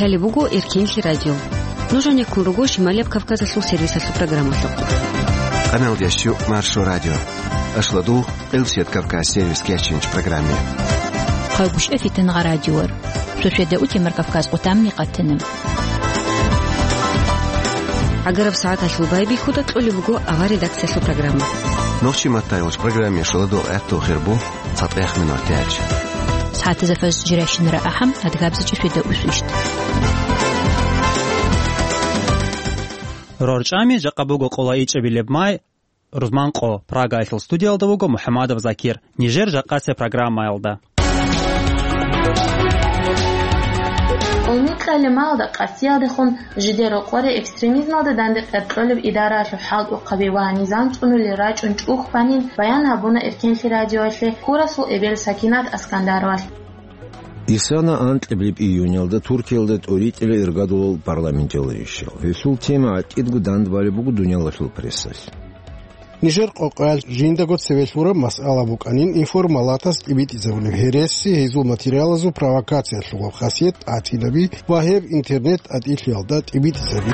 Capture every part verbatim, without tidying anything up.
Лъалеб буго Эркенлъи радио. Нуж гьанеккун руго Шималияб Кавказалъул сервисалъул программалъухъ. Къаналдияс чу Маршо радио. Ашладул Элсет Кавказ сервис кечинч программе. Хъалгушев Фитнагъа радиор. Суседа утемар Кавказ къутамни къатана. Агараб сагӀаталъул байбихьуда кьолеб буго авар редакциялъул программа. Нохчи маттайолч программе шоладул гӀатту хирбу. ЦатӀех минут яч. СагӀатазда фаз жирайщинара ахӀам, адгабзачӀи феда усвищт. РорчӀами жакъа буго къола ичӀабилеб май, рузман къо, Прагаялъул студиялда вуго МухӀамадов Закир. Нижер жакъасеб программаялда. Къулмикълъали малда къасиялдехун жидер рокъоре экстремизмалда данде къеркьолеб идараялъул хӀалтӀухъаби ва низам цӀунулел рачӀун чӀухӀ банин баян гьабуна Эркенлъи радиоялъе Курасул эбел Сакинат Аскандаровалъ. Исана анкьабилеб июнялда Туркиялда тӀоритӀила иргадулал парламенталищал. Гьелъул тема гӀатӀидго дандбалеб буго дуниялалъул прессалъ. Нижер къокъаялъ жиндаго цеве лъураб масъала букӀанин информалатас тӀибитӀизабулеб гьереси, гьезул материалазул провокациялъулаб хасият тӀатинаби ва гьеб интернет тӀатӀилъиялда тӀибитӀизаби.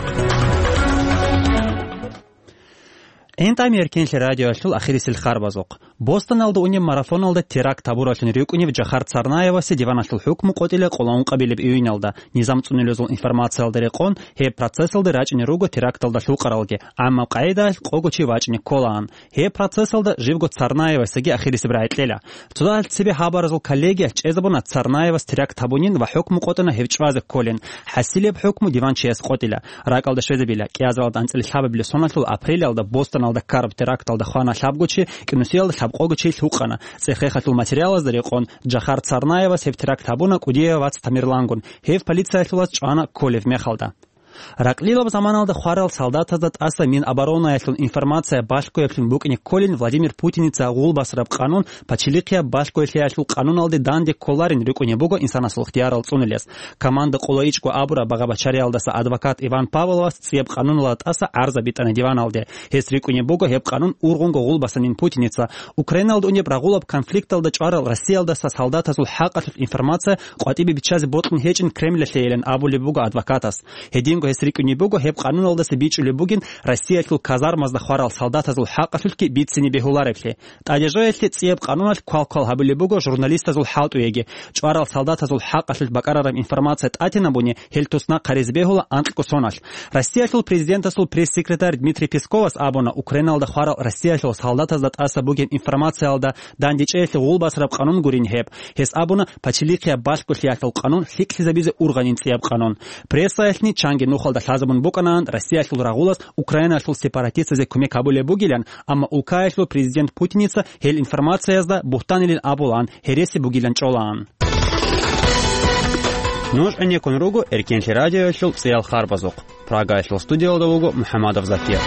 ГӀинтӀами Эркенлъи радиоялъул ахирисел харбазухъ. Бостоналда унеб марафоналда теракт гьабураллъун рикӀкӀунев Жахар Царнаевасе диваналъул хӀукму къотӀила къоло ункъабилеб июнялда, низам цӀунулезул информациялда рекъон, гьеб процессалда рачӀине руго теракталда лъукъаралги, амма къагӀидаялъ къого чи вачӀине кколаан. Гьеб процессалда живго Царнаевасеги ахирисеб рагӀи кьела. Цо дагьалъ цебе гьабаразул коллегиялъ чӀезабуна Царнаевас теракт гьабунин ва хӀукму къотӀана гьев чӀвазе кколин. ХӀасилеб хӀукму диван чияс къотӀила. РакӀалда щвезабила, кӀиазаралда анцӀила лъабабилеб соналъул апрелалда Бостоналда ккараб теракталда хвана лъабго чи, кӀинусиялда лъабкъого чи лъукъана. ЦӀех-рехалъул материалазда рекъон, Жахар Царнаевас гьеб теракт гьабуна кӀудияв вац Тамерлангун, гьев полициялъулаз чӀвана кколев мехалда. Ракълилаб заманалда хварал солдатазда тӀаса Миноборонаялъул информация балъгояблъун букӀине кколин Владимир Путиница гъулбасараб къанун пачелихъияб балъгоялъиялъул къануналде данде кколарин рикӀкӀунеб буго инсанасул ихтиярал цӀунулес. Команда къоло ичӀго абураб багъа-бачариялдаса адвокат Иван Павловас цӀияб къануналда тӀаса гӀарза битӀана диваналде. Гьес рикӀкӀунеб буго гьеб къанун ургъунго гъулбасанин Путиница, Украиналда унеб рагъулаб конфликталда чӀварал Россиялдаса солдатазул хӀакъалъулъ информация къватӀибе биччазе бокьун гьечӀин Кремлалъейилан абулеб буго адвокатас. Гьединго гьес рикӀкӀунеб буго гьеб къануналдаса бичӀчӀулеб бугин Россиялъул казармазда хварал солдатазул хӀакъалъулъги бицине бегьуларевлъи. ТӀадежояхӀлъи цӀияб къануналъ квал-квал гьабулеб буго журналистазул хӀалтӀуеги. ЧӀварал солдатазул хӀакъалъулъ бакӀарараб информация тӀатинабуни гьел туснахъ гьаризе бегьула анкьго соналъ. Россиялъул президентасул пресс-секретарь Дмитрий Песковас абуна, Украиналда хварал Россиялъул солдатазда тӀаса бугеб информациялда дандечӀеялъе гъулбасараб къанун гурин гьеб. Гьес абуна, пачелихъияб балъголъиялъул къанун лъикӀлъизабизе ургъанин цӀияб къанун. Прессаялъни чанги нухалда лъазабун букӀанаан Россиялъул рагъулас Украиналъул сепаратистазе кумек гьабулеб бугилан, амма улкаялъул президент Путиница гьел информациязда бугьтанилин абулаан, гьереси бугилан чӀолаан. Нуж гӀенеккун руго Эркенлъи радиоялъул цӀиял харбазухъ. Прагаялъул студиялда вуго МухӀамадов Закир.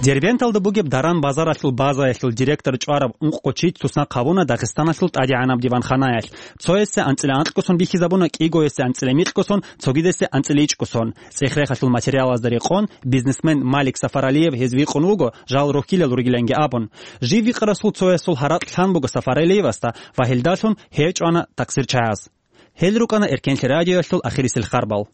Дербенталда бугеб даран-базаралъул базаялъул директор чӀвараб ункъго чи туснахъ гьабуна Дагъистаналъул тӀадегӀанаб диванханаялъ. Цоясе анцӀила анкьго сон бихьизабуна, кӀигоясе анцӀила микьго сон, цогидасе анцӀила ичӀго сон. ЦӀех-рехалъул материалазда рекъон, бизнесмен Малик Сафаралиев гьез вихъун вуго, жал рохьилал ругиланги абун. Жив вихъарасул цоясул гьаракь лъан буго Сафаралиевасда ва гьелдалъун гьев чӀвана такъсирчагьаз. Гьел рукӀана Эркенлъи радиоялъул ахирисел харбал.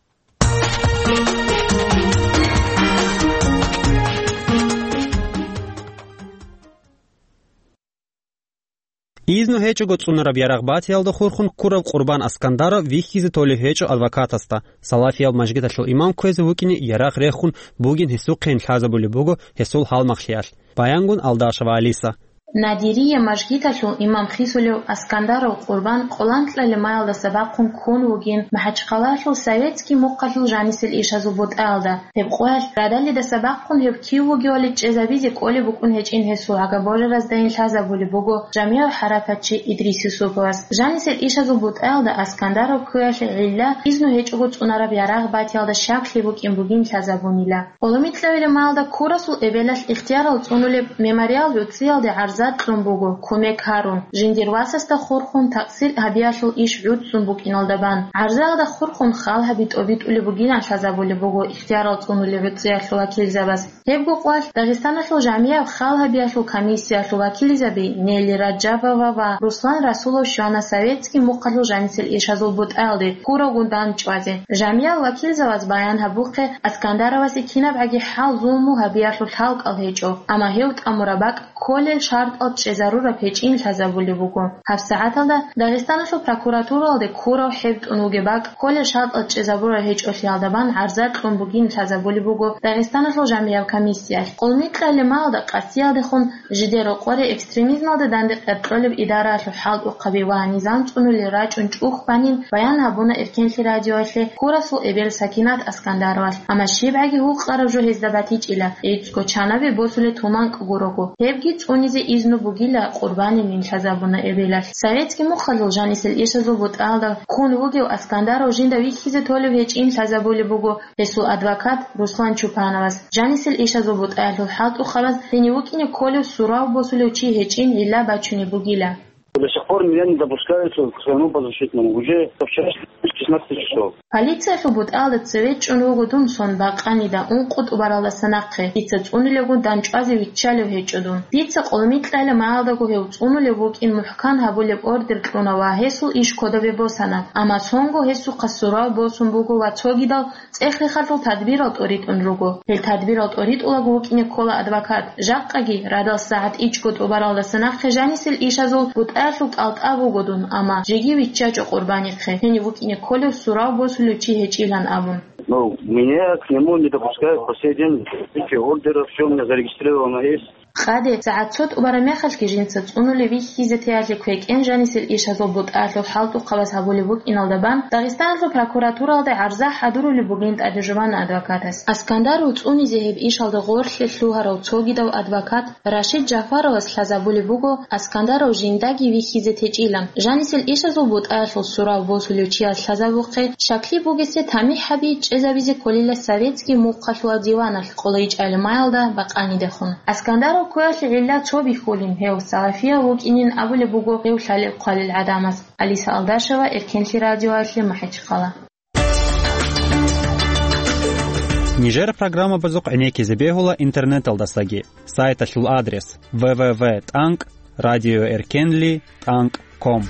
Изну гьечӀого цӀунараб ярагъ батиялда хурхун ккурав Къурбан Аскандаров вихьизе толеб гьечӀо адвокатасда, салафиял мажгиталъул имам кквезе вукӀине ярагъ рехун бугин гьесухъейин лъазабулеб буго гьесул гьалмагълъиялъ, баянгун Алдашева Алиса. Надирия мажгиталъул имам хисулев Аскандаров Къурбан къоланкьа лемаялдаса бахъун ккун вугин МахӀачхъалалъул Советский мухъалъул жанисел ишазул бутӀаялда. Гьеб къоялъ радалидаса бахъун гьев кив вугевали чӀезабизе кӀолеб букӀун гьечӀин гьесул гӀага божараздайин лъазабулеб буго жамигӀ хӀаракатчи Идрис Юсуповас. Жанисел ишазул бутӀаялда Аскандаров кквеялъе гӀилла изну гьечӀого цӀунараб ярагъ батиялда щаклъи букӀин бугин лъазабунила. Къоломикьа лемаялда Курасул эбелалъ ихтиярал цӀунулеб мемориал гӀуцӀиялде гӀарз гӀарза кьун буго, кумек гьарун, жиндир васасда хурхун такъсир гьабиялъул иш гӀуцӀцӀун букӀиналда бан. ГӀарзаялда хурхун хал гьаби тӀобитӀулеб бугилан лъазабулеб буго ихтиярал цӀунулел гӀуцӀиялъул вакилзабаз. Гьебго къвалъ Дагъистаналъул жамияб хал гьабиялъул комиссиялъул вакилзаби Нелли Раджабова ва Руслан Расулов щвана советский мухъалъул жанисел ишазул бутӀаялде ккуравгун дандчӀвазе. Жамиял вакилзабаз баян гьабухъе, Аскандаровасе кинабгӀаги хӀал-зулму гьабиялъул лъалкӀал гьечӀо, амма гьев тӀамураб бакӀ кколел шартӀал чӀезарураб гьечӀин лъазабулеб буго. ГьабсагӀаталда Дагъистаналъул прокуратуралде ккурав хӀебтӀун вугеб бакӀ кколел шартӀал чӀезабураб гьечӀолъиялда бан гӀарза кьун бугин лъазабулеб буго Дагъистаналъул жамияб комиссиялъ. Къулмикьалимаялда къасиялдехун жидер рокъоре экстремизмалда данде къеркьолеб идараялъул хӀалтӀухъаби ва низам цӀунулел рачӀун чӀухь банин баян гьабуна Эркенлъи радиоялъе ккурасул эбел Сакинат Аскандаровалъ. Амма щибгӀаги гьукъараб жо гьезда батичӀила, гӀицӀго чанабе босулеб туманкӀ гурого. Гьебги цӀунизе изну бугила, къурбанинин лъазабуна эбелалъ. Советский мухъалъул жанисел ишазул бутӀаялда ккун вугев Аскандаров жинда вихьизе толеб гьечӀин лъазабулеб буго гьесул адвокат Руслан Чупановас. Жанисел ишазул бутӀаялъул хӀалтӀухъабаз гьенив вукӀине кколев сурав босулев чи гьечӀин гӀилла бачунеб бугила. До сих пор меня не допускают к своему подзащитному. Уже со вчерашнего шестнадцати часов. Полициялъул бутӀаялда цеве чӀун вуго дун сон бакъанида ункъо тӀубаралдаса нахъе. Дица цӀунилевгун дандчӀвазе виччалев гьечӀо дун. Дица къулмикьалимаялдаго гьев цӀунулев вукӀин мухӀкан гьабулеб ордер кьуна ва гьесул иш кодобе босана. Амма сонго гьесухъа сурав босун буго ва цогидал цӀех-рехалъул тадбирал тӀоритӀун руго. Гьел тадбирал тӀоритӀулаго вукӀине ккола адвокат. Жакъаги, радал сагӀат ичӀго тӀубаралдаса нахъе жанисел ишазул бутӀаялъул кӀалтӀа буго дун, амма жеги виччачӀо къурбанихъе, гьенив вукӀине кколев сурав босулев чи гьечӀилан абун. Ну, меня к нему не допускают по сей день. Эти ордеры, всё у меня зарегистрировано есть. Къаде, сагӀат цо тӀубараб мехалъги жинца цӀунулев вихьизе теялъе квекӀен жанисел ишазул бутӀаялъул хӀалтӀухъабаз гьабулеб букӀиналда бан, Дагъистаналъул прокуратуралде гӀарза хӀадурулеб бугин тӀадежубан адвокатас. Аскандаров цӀунизе гьеб ишалда гъорлъе лъугьарав цогидав адвокат Рашид Жафаровас лъазабулеб буго, Аскандаров жиндаги вихьизе течӀилан, жанисел ишазул бутӀаялъул сурав босулев чияс лъазабухъе, щаклъи бугесе тамихӀ гьаби чӀезабизе кколила советский мухъалъула диваналъ къулайчӀалимаялда бакъанидехун. Аскандаров ккоялъе гӀилла цо бихьулин, гьев салафияв вукӀинин абулеб буго гьев лъалеб-хъвалел гӀадамаз. Алиса Алдашева, Эркенлъи радиоялъе, МахӀичхъала. Нижер программабазухъ гӀенеккизе бегьула интернеталдасаги. Сайталъул адрес: в в в тӀанкӀ радиоэркенли тӀанкӀ ком.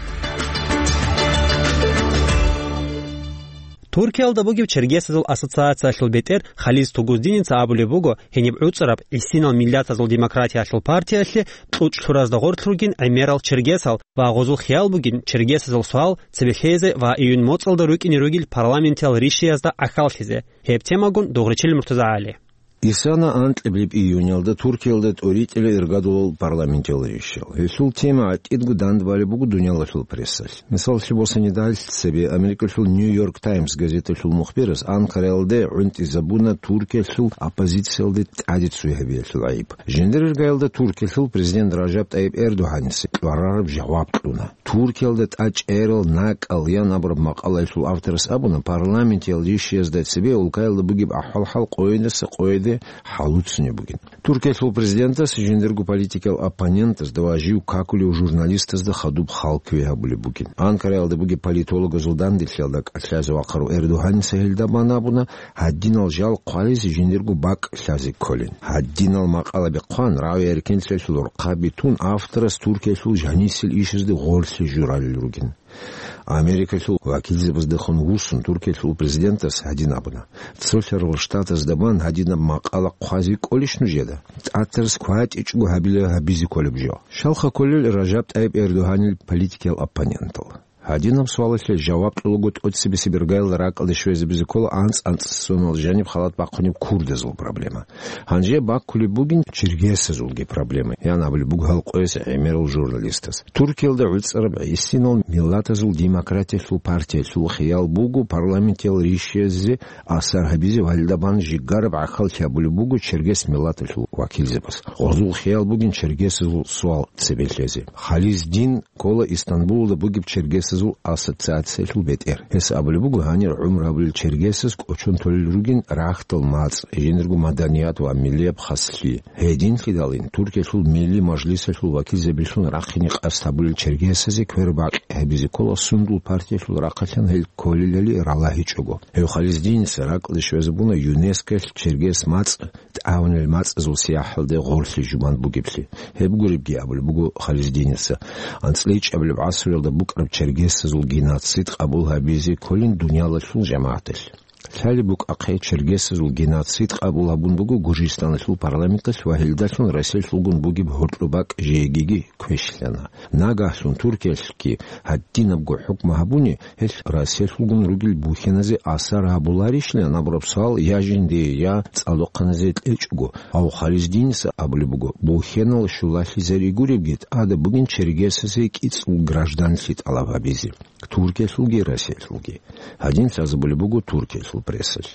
Туркиялда бугеб Чергесазул ассоциациялъул бетӀер Хализ Тугуздиница абулеб буго, гьениб гӀуцӀараб гӀисинал миллатазул демократиялъул партиялъе кьучӀ лъуразда гъорлъ ругин гӀемерал чергесал ва гъозул хиял бугин чергесазул суал цебе лъезе ва июнь моцӀалда рукӀине ругел парламентиял ришиязда гӀахьаллъизе. Гьеб темагун Дугъричил МуртазагӀали. Исана анкьабилеб июньалда Туркиялда тӀоритӀила иргадулал парламентиял ришиял. Гьелъул тема гӀатӀидго дандбалеб буго дуниялалъул прессалъ. Мисаллъи босанидал, цебе Америкалъул Нью-Йорк Таймс газеталъул мухбирас Анкараялде гӀунтӀизабуна Туркиялъул оппозициялде тӀаде цой гьабиялъул гӀайиб. Жиндир иргаялда Туркиялъул президент Ражаб ТӀайиб Эрдогьаница кьварараб жаваб кьуна. Туркиялда тӀачӀерал накӀкӀал ян абураб макъалаялъул авторас абуна, парламентиял ришиязда цебе улкаялда бугеб ахӀвал-хӀал къойидаса къойиде хӀалуцунеб бугин. Туркиялъул президентас жиндирго политикиял оппонентазда ва жив какулев журналистазда хадуб хал кквей гьабулеб бугин. Анкараялда бугеб политологазул данделъиялда кӀалъазе вахъарав Эрдогьаница гьелда бан абуна, гьадинал жал хъвализе жиндирго бакӀ лъазе кколин. Гьадинал макъалаби хъван, рагӀи-эркенлъиялъул рхъаби тун, авторас Туркиялъул жанисел ишазде гъорлъе журалел ругин. Америкалъул вакилзабаздехун вуссун Туркиялъул президентас гьадин абуна: «Цолъарал Штатазда бан гьадинаб макъала хъвазе кӀолищ нужеда? ТӀатарас кватӀичӀого гьабила гьабизе кколеб жо». Щалха кколел Ражаб ТӀайиб Эрдогьанил политикиял оппонентал? Гьадинаб суалалъе жаваб кьолаго тӀоцебесеб иргаялда ракӀалде щвезабизе ккола анцӀ-анцӀ сонал жаниб халат бахъунеб курдазул проблема. Гьанже баккулеб бугин чергесазулги проблема, ян абулеб буго гьал къояс гӀемерал журналистас. Туркиялда гӀуцӀараб гӀисинал миллатазул демократиялъул партиялъул хиял буго парламентиял ришиязде асар гьабизе ва гьелда бан жигараб гӀахьаллъи гьабулеб буго чергес миллаталъул вакилзабаз. Гъозул хиял бугин чергесазул суал цебе лъезе. Хализ Дин ккола Истанбулалда бугеб чергесаз ассоциациялъул бетӀер. Гьес абулеб буго, гьанир гӀумру гьабулел чергесаз кӀочон толел ругин рахьдал мацӀ, жиндирго маданият ва миллияб хаслъи. Гьединлъидалин Туркиялъул Милли Мажлисалъул вакилзабилъун рахъине къасд гьабулел чергесазе квербакъи гьабизе ккола сундул партиялъул рахъалъан гьел кколелали ралагьичӀого. Гьев Хализдиница ракӀалде щвезабуна ЮНЕСКОялъ чергес мацӀ тӀагӀунел мацӀазул сияхӀалде гъорлъи жубан бугеблъи. Гьеб гуребги абулеб буго Хализдиница, анцӀила ичӀабилеб гӀасруялда букӀараб чергесазул геноцид къабул гьабизе кколин дуниялалъул жамагӀаталъ. Лъалеб букӀахъе, чергесазул геноцид къабул гьабун буго Гуржистаналъул парламенталъ ва гьелдалъун Россиялъулгун бугеб гьоркьоб бакӀ жегиги квешлъана. Нагагьлъун Туркиялъги гьадинабго хӀукму гьабуни, гьелъ Россиялъулгун ругел бухьеназе асар гьабуларищилан абураб суал я жиндие, я цӀалдохъаназе кьечӀого. Гьав Хализдиница абулеб буго, бухьенал щулалъизари гуребги, тӀада бугин чергесазе кӀицӀул гражданлъи тӀалаб гьабизе. Туркиялъулги Россиялъулги. Гьадин лъазабулеб буго Туркиялъул прессалъ.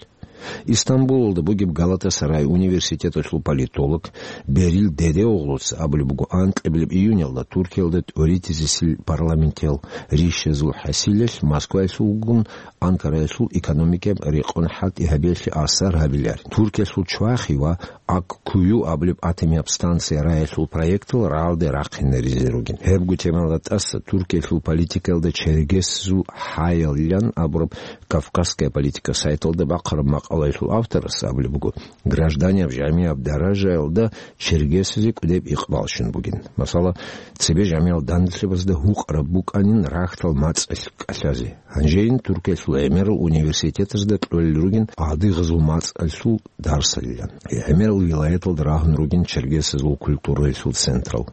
Истамбулалда бугеб Галатасарай университеталъул политолог Берил Дедеоглуца абулеб буго, анкьабилеб июнялда Туркиялда тӀоритӀизесил парламентиял ришазул хӀасилалъ Москваялъулгун Анкараялъул экономикаяб рекъон хӀалтӀи гьабиялъе асар гьабиларин. Туркиялъул чвахи ва Аккую абулеб атомияб станция раялъул проектал рагӀалде рахъинаризе ругин. Гьебго темаялда тӀаса Туркиялъул политикаялда чергесазул хӀаялилан абураб «Кавказская политика» сайталда бахъараб макъалаялъул авторас абулеб буго, гражданияб-жамияб даражаялда чергесазе кӀудеб икъбал щун бугин. Масала, цебе жамияб данделъабазда гьукъараб букӀанин рахьдал мацӀалъ кӀалъазе. Гьанжейин Туркиялъул гӀемерал университетазда кьолел ругин гӀадигъазул мацӀалъул дарсалилан. ГӀемерал вилаяталда рагьун ругин чергесазул культураялъул централ.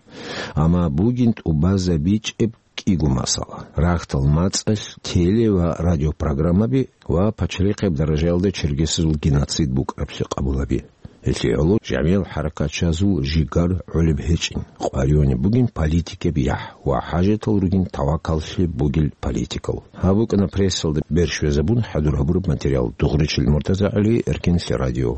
Амма бугин тӀубазабичӀеб кӀиго масъала. Рахьдал мацӀалъ теле- ва радиопрограммаби ва пачалихъияб даражаялда чергесазул геноцид букӀараблъи къабулаби. Гьелъие гӀоло жамиял хӀаракатчазул жигар гӀолеб гьечӀин, къваригӀунеб бугин политикияб яхӀ ва хӀажатал ругин тавакаллъи бугел политикал. Гьаб букӀана прессалда берщвезабун хӀадур гьабураб материал. Дугъричил МуртазагӀали, Эркенлъи радио.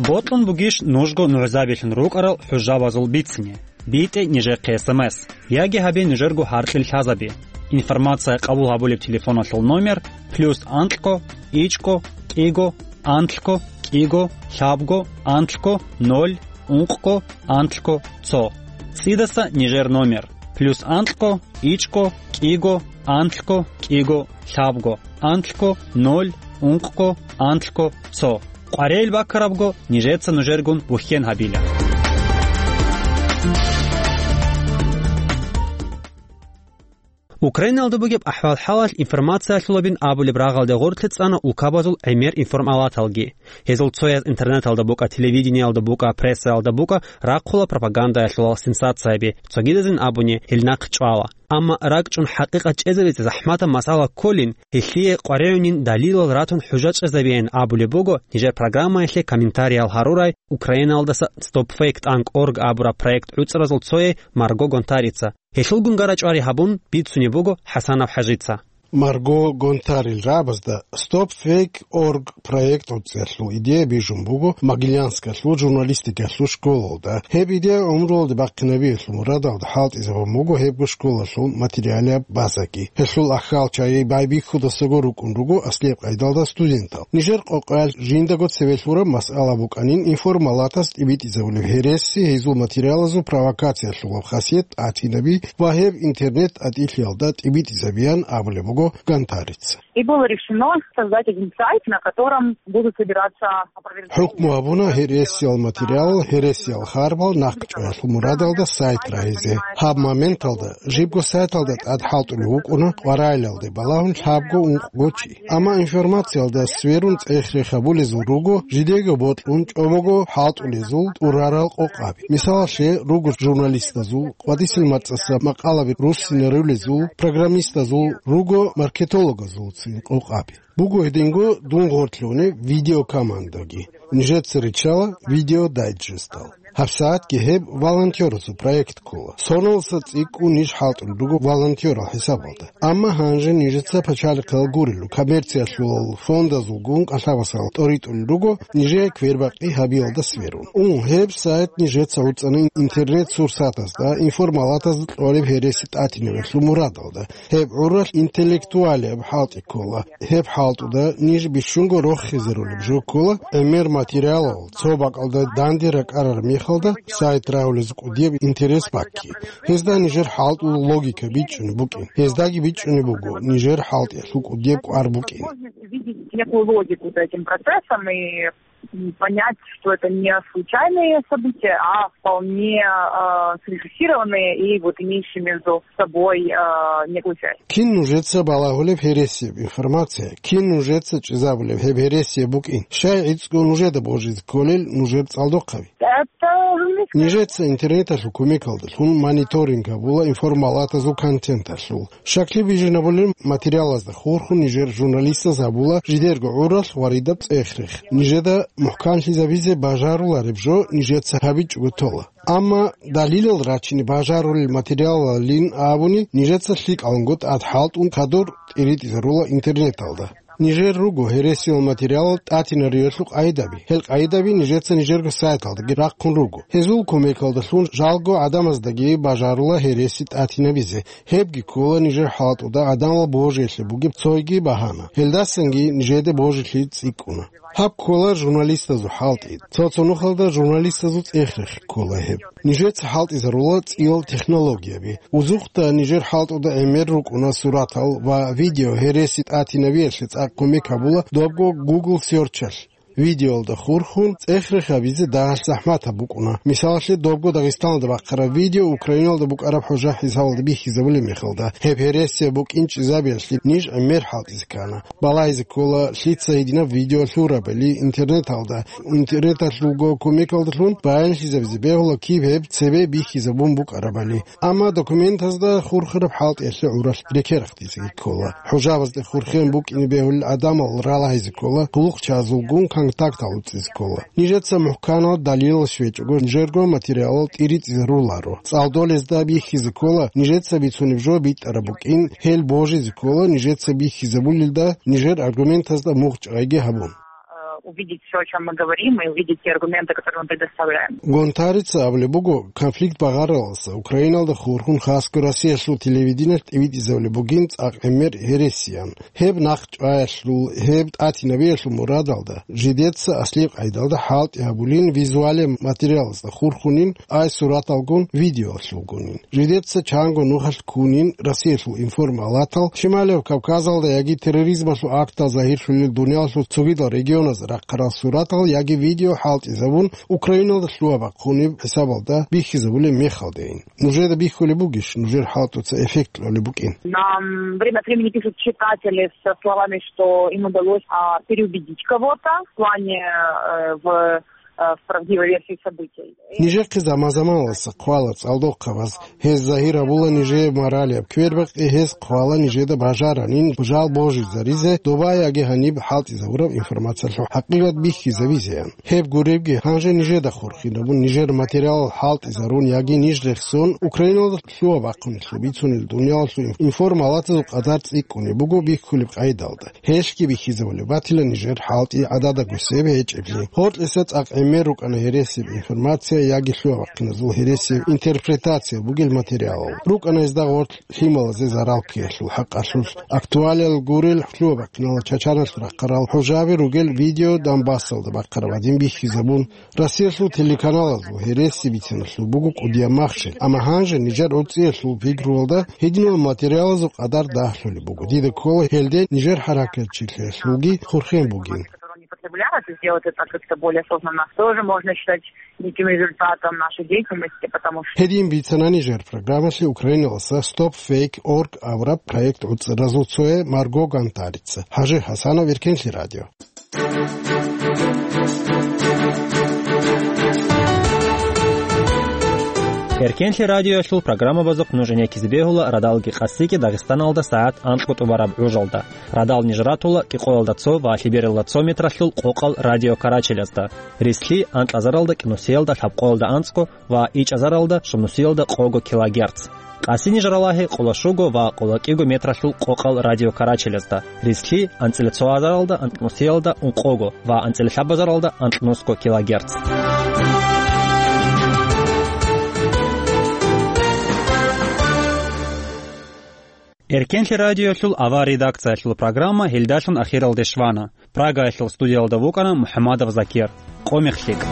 Бокьун бугищ нужго нугӀзабилъун рукӀарал хӀужабазул бицине? БитӀе нижехъе СМС. Яги гьабе нужерго гьаркьил лъазаби. Информация къабул гьабулеб телефоналъул номер: плюс анкьго, ичӀго, кӀиго, анлъго, кӀиго, лъабго, анлъго, ноль, ункъго, анлъго, цо. ЦӀидаса нижер номер: плюс анкьго, ичӀго, кӀиго, анлъго, кӀиго, лъабго, анлъго, ноль, ункъго, анлъго, цо. КъваригӀел баккарабго, нижеца нужергун бухьен гьабила. Украиналда бугеб ахӀвал-хӀалалъ информациялъулабин абулеб рагъалде гъорлъе цӀана улкабазул гӀемер информалаталги. Гьезул цояз интернеталда букӀа, телевидениялда букӀа, прессаялда букӀа, рахъула пропагандаялъулал сенсацияби, цогидазин абуни, гьел нахъ чӀвала. Амма ракӀчӀун хӀакъикъат чӀезабизе захӀматаб масъала кколин, гьелъие къваригӀунин далилал ратун хӀужа чӀезабеян абулеб буго нижер программаялъе комментариял гьарурай Украиналдаса Stop Fake Tank Org абураб проект гӀуцӀразул цое Марго Гонтарица. Гьелъулгун гара-чӀвари гьабун бицунеб буго ХӀасанов ХӀажица. Марго Гонтарил рагӀабазда Stop Fake Org проект гӀуцӀиялъул идея бижун буго Могилянскалъул журналистикалъул школалда. Гьеб идея гӀумруялде бахъинабиялъул мурадалда хӀалтӀизабун буго гьебго школалъул материалияб базаги. Гьелъул ахӀалчагӀи байбихьудасаго рукӀун руго аслияб къайдалда студентал. Нижер къокъаялъ жиндаго цеве лъураб масъала букӀанин информалатас тӀибитӀизабулеб гьереси, гьезул материалазул провокациялъулаб хасият тӀатинаби ва гьеб интернет-тӀатӀилъиялда тӀибитӀизабиян абулеб буго Гонтарица. И было решено создать один сайт, на котором будут собираться опровержения. ХӀукму гьабуна гьересиял материалал, гьересиял харбал нахъчӀваялъул мурадалда сайт рагьизе. Гьаб моменталда жибго сайталда тӀад хӀалтӀулев вукӀуна къваригӀелалде балагьун лъабго-ункъго чи. Амма информациялда сверун цӀех-рех гьабулезул руго, жидеего бокьун чӀобого хӀалтӀулезул тӀурарал къокъаби. Мисалалъе, руго журналистазул, къватӀисел мацӀаса макъалаби руссинарулезул, программистазул, руго маркетологазулцин къокъаби. Буго гьединго дун гъорлъунеб видеокомандаги. Нижеца риччала видеодайджестал. ГьабсагӀатги гьеб волонтёрасул проект ккола. Соналдаса цӀикӀкӀун ниж хӀалтӀулел руго волонтёрал хӀисабалда. Амма гьанже нижеца пачалихъал гурелъул, коммерциялъулал фондазулгун кӀалъабасал тӀоритӀулел руго нижее квербакъи гьабиялда сверун. Ун, гьеб сайт нижеца гӀуцӀана интернет-сурсатазда, информалатазда кьолеб гьереси тӀатинабиялъул мурадалда. Гьеб гӀуралъ интеллектуалияб хӀалтӀи ккола. Гьеб хӀалтӀуда ниж бищунго рохизарулеб жо ккола, гӀемер материалал цо бакӀалда данде ракӀарараб мехалда сайт рагьулез кӀудияб интерес бакки. Гьезда нижер хӀалтӀул логика бичӀчӀунеб букӀин. Гьездаги бичӀчӀунеб буго нижер хӀалтӀиялъул кӀудияб кӀвар букӀин. Возможность увидеть некую логику за этим процессом и, м, понять, что это не случайные события, а вполне, а, срежиссированные и вот имеющие между собой, а, некую связь. Кин нужеца балагьулеб гьересияб информация, кин нужеца чӀезабулеб гьеб гьересияб букӀин? Щай гӀицӀго нужеда божизе кколел нужер цӀалдохъаби? Это журналистская... Нижеца интернеталъул кумекалдалъун мониторинг гьабула информалатазул контенталъул. Щаклъи бижинабулел материалазда хурхун нижер журналистаз гьабула жидерго гӀуралъ ва ридаб цӀех-рех. Нижеда мухӀканлъизабизе бажарулареб жо нижеца гьабичӀого тола. Амма далилал рачине бажарулел материалалин абуни, нижеца лъикӀаланго тӀад хӀалтӀун хадур тӀиритӀизарула интернеталда. Нижер руго гьересиял материалал тӀатинариялъул къайдаби. Гьел къайдаби нижеца нижерго сайталдаги рахъун руго. Гьезул кумекалдалъун жалго гӀадамаздаги бажарула гьереси тӀатинабизе. Гьебги ккола нижер хӀалтӀуда гӀадамал божилъи бугеб цойги багьана. Гьелдасанги нижеде божилъи цӀикӀкӀуна. Гьаб ккола журналистазул хӀалтӀи. Цо-цо нухалда журналистазул цӀех-рех ккола гьеб. Нижеца хӀалтӀизарула цӀиял технологияби. Узухъда нижер хӀалтӀуда гӀемер рукӀуна суратал ва видео гьереси тӀатинабиялъе цӀакъ кумек гьабула добго Google Search-алъ. Видеоялда хурхун цӀех-рех гьабизе дагьалъ захӀматаб букӀуна. Мисалалъе, добго Дагъистаналда бахъараб видео Украиналда букӀараб хӀужа хӀисабалда бихьизабулеб мехалда, гьеб гьересияб букӀин чӀезабиялъе ниж гӀемер хӀалтӀизе ккана. Балагьизе ккола, лъица гьединаб видео лъурабали интернеталда, интернеталъулго кумекалдалъун баянлъизабизе бегьула киб гьеб цебе бихьизабун букӀарабали. Амма документазда хурхараб хӀалтӀиялъе гӀуралъ рекерахъ дизе ккола. ХӀужабазде хурхен букӀине бегьулел гӀадамал ралагьизе ккола, хъулухъчазулгун контактал уцӀизе ккола. Нижеца мухӀканал далилал щвечӀого, нижерго материалал тӀиритӀизаруларо. ЦӀалдолезда бихьизе ккола, нижеца бицунеб жо битӀараб букӀин, гьел божизе ккола, нижеца бихьизабулелда, нижер аргументазда мугъчӀайги гьабун. Увидеть всё, о чём мы говорим, и увидеть те аргументы, которые мы предоставляем. Гонтарица абулеб буго, конфликт багъараласа Украиналда хурхун хасго Россиялъул телевидениялъ тӀибитӀизабулеб бугин цӀакъ гӀемер гьересиян. Гьеб нахъчӀваялъул, гьеб тӀатинабиялъул мурадалда, жидеца аслияб къайдалда хӀалтӀи гьабулин визуалияб материалазда хурхунин, ай сураталгун видеолъулгунин. Жидеца чанго нухалъ ккунин Россиялъул информалатал, Шималияб Кавказалда яги терроризмалъул актал загьирлъулел дуниялалъул цогидал регионазда рахъарал суратал яги видео хӀалтӀизабун, Украиналда лъугьа-бахъунеб хӀисабалда бихьизабулеб мехалдейин. Нужеда бихьулеб бугищ нужер хӀалтӀуца эффект кьолеб букӀин? Нам время от времени пишут читатели со словами, что им удалось, а, переубедить кого-то в плане, э, в, э, в правдивой версии событий. Нижехъе заман-заманалъ хъвала цӀалдохъабаз, гьез загьир гьабула нижее моралияб квербакъи, гьез хъвала нижеда бажаранин жал божизаризе доба яги гьаниб хӀалтӀизабураб информациялъул хӀакъикъат бихьизабизеян. Гьеб гуребги, гьанже нижеда хурхинабун, нижер материалал хӀалтӀизарун яги ниж рехсон, Украиналда лъугьа-бахъунелъул бицунел дуниялалъул информалатазул къадар цӀикӀкӀунеб буго бихьулеб къайдалда. Гьелъги бихьизабулеб батила нижер хӀалтӀи гӀадада гусеб гьечӀебли. Гьоркьиса цӀакъ гӀемер рукӀана гьересияб информация яги лъугьа-бахъиназул гьересияб интерпретация бугел материалал. РукӀана гьезда гъорлъ лъималазе зарал ккеялъул хӀакъалъулъ. Актуалиял гурел лъугьа-бахъинал чачаналъ рахъарал хӀужаби ругел видео Донбассалда бахъараб гӀадин бихьизабун. Россиялъул телеканалазул гьереси бициналъул буго кӀудияб махщел, амма гьанже нижер гӀурцӀиялъул пикруялда гьединал материалазул къадар дагьлъулеб буго. Дида ккола гьелде нижер хӀаракатчилъиялъулги хурхен бугин. Которые они потребляют, и сделать это как-то более осознанно, тоже можно считать неким результатом нашей деятельности, потому что... Гьедин бицана нижер программалъе Украиналаса Stop Fake Org абураб проект гӀуцӀаразул цое Марго Гонтарица. ХӀажи ХӀасанов, Эркенлъи радио. Эркенлъи радиоялъул программабазухъ нуж гӀенеккизе бегьула радалги къасиги Дагъистаналда сагӀат анкьго тӀубараб гӀужалда. Радал ниж ратула кӀикъоялда цо ва лъебералда цо метралъул къокъал радиокарачелазда, рислъи анкьазаралда кӀинусиялда лъабкъоялда анцӀго ва ичӀазаралда щунусиялда къого килогерц. Къаси ниж ралагьи къоло щуго ва къоло кӀиго метралъул къокъал радиокарачелазда, рислъи анцӀила цо азаралда анкьнусиялда ункъого ва анцӀила лъабазаралда анкьнусго килогерц. Эркенлъи радиоялъул авар редакциялъул программа гьелдалъун ахиралде щвана. Прагаялъул студиялда вукӀана МухӀамадов Закир. Къо мех лъикӀ.